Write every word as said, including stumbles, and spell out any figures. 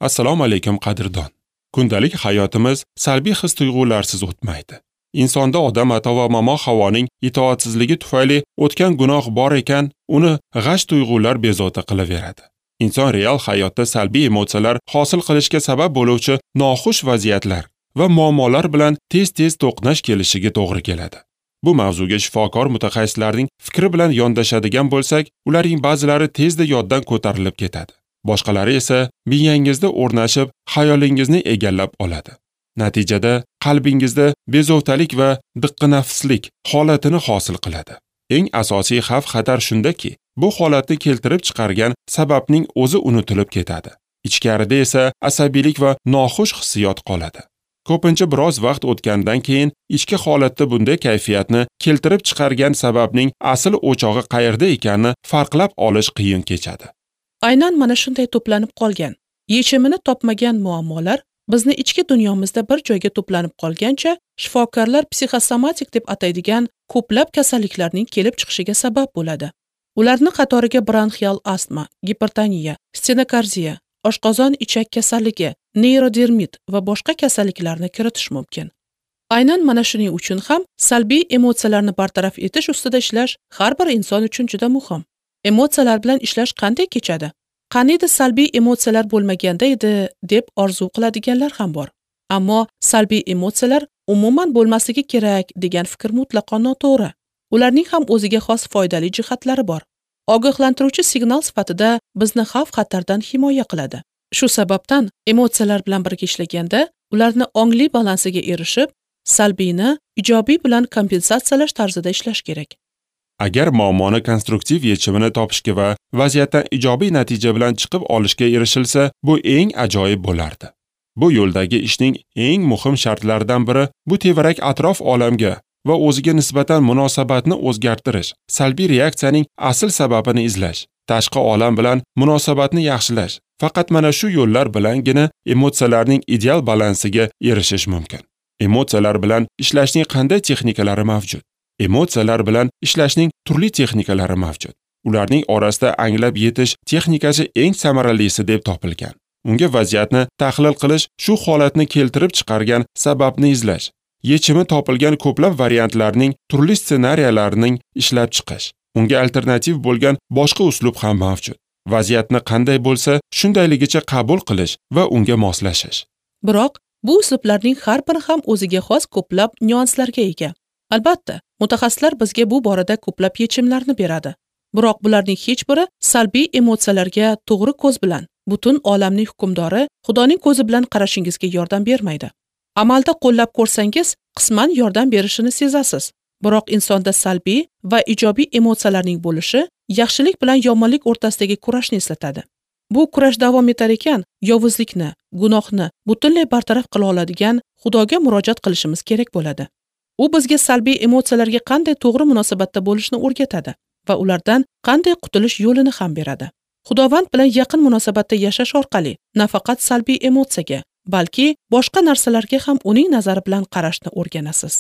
Assalomu alaykum qadrdon. Kundalik hayotimiz salbiy his-tuyg'ularsiz o'tmaydi. Insonda Odam ata va momo Havoning itoatsizligi tufayli o'tgan gunoh bor ekan, uni g'ash tuyg'ular bezovta qilaveradi. Inson real hayotda salbiy emotsiyalar hosil qilishga sabab bo'luvchi noxush vaziyatlar va muammolar bilan tez-tez to'qnash kelishiga to'g'ri keladi. Bu mavzuga shifokor mutaxassislarning fikri bilan yondashadigan bo'lsak, ularning ba'zilari tezda yoddan ko'tarilib ketadi. Boshqalari esa miyangizda o'rnashib, xayolingizni egallab oladi. Natijada qalbingizda bezovtalik va diqqinafslik holatini hosil qiladi. Eng asosiy xavf-xatar shundaki, bu holatni keltirib chiqargan sababning o'zi unutilib ketadi. Ichkarida esa asabiylik va noxush hissiyot qoladi. Ko'pincha biroz vaqt o'tgandan keyin ichki holatda bunday kayfiyatni keltirib chiqargan sababning asl o'chog'i qayerda ekanini farqlab olish qiyin kechadi. Aynan mana shunday to'planib qolgan, yechimini topmagan muammolar bizni ichki dunyomizda bir joyga to'planib qolgancha shifokorlar psixosomatik deb ataydigan ko'plab kasalliklarning kelib chiqishiga sabab bo'ladi. Ularning qatoriga bronxial astma, gipertoniya, stenokardiya, oshqozon-ichak kasalligi, neyrodermit va boshqa kasalliklarni kiritish mumkin. Aynan mana shuning uchun ham salbiy emotsiyalarni bartaraf etish ustida ishlash har bir inson uchun juda muhim. Emotsiyalar bilan ishlash qanday kechadi? Qaniydi salbiy emotsiyalar bo'lmaganda edi deb orzu qiladiganlar ham bor. Ammo salbiy emotsiyalar umuman bo'lmasligi kerak degan fikr mutlaqo noto'g'ri. Ularning ham o'ziga xos foydali jihatlari bor. Ogohlantiruvchi signal sifatida bizni xavf-xatardan himoya qiladi. Shu sababdan emotsiyalar bilan birga ishlaganda ularni ongli balansiga erishib, salbiyni ijobiy bilan kompensatsiyalash tarzida ishlash kerak. Agar muammoni konstruktiv yechimini topishga va vaziyatdan ijobiy natija bilan chiqib olishga erishilsa, bu eng ajoyib bo'lardi. Bu yo'ldagi ishning eng muhim shartlaridan biri bu tevarak atrof olamga va o'ziga nisbatan munosabatni o'zgartirish, salbiy reaksiyaning asl sababini izlash, tashqi olam bilan munosabatni yaxshilash. Faqat mana shu yo'llar bilangina emotsiyalarning ideal balansiga erishish mumkin. Emotsiyalar bilan ishlashning qanday texnikalari mavjud? Emotsiyalar bilan ishlashning turli texnikalari mavjud. Ularning orasida anglab yetish texnikasi eng samaralisi deb topilgan. Unga vaziyatni tahlil qilish, shu holatni keltirib chiqargan sababni izlash, yechimi topilgan ko'plab variantlarning, turli ssenariylarning ishlab chiqish. Unga alternativ bo'lgan boshqa uslub ham mavjud. Vaziyatni qanday bo'lsa, shundayligicha qabul qilish va unga moslashish. Biroq bu uslublarning har biri ham o'ziga xos ko'plab nyuanslarga ega. Albatta, mutaxassislar bizga bu borada ko'plab yechimlarni beradi. Biroq bularning hech biri salbiy emotsiyalarga to'g'ri ko'z bilan, butun olamning hukmdori Xudoning ko'zi bilan qarashingizga yordam bermaydi. Amalda qo'llab ko'rsangiz, qisman yordam berishini sezasiz. Biroq insonda salbiy va ijobiy emotsiyalarning bo'lishi yaxshilik bilan yomonlik o'rtasidagi kurashni eslatadi. Bu kurash davom etar ekan, yovuzlikni, gunohni butunlay bartaraf qila oladigan Xudoga murojaat qilishimiz kerak bo'ladi. U bizga salbiy emotsiyalarga qanday to'g'ri munosabatda bo'lishni o'rgatadi va ulardan qanday qutulish yo'lini ham beradi. Xudovand bilan yaqin munosabatda yashash orqali nafaqat salbiy emotsiyaga, balki boshqa narsalarga ham uning nazari bilan qarashni o'rganasiz.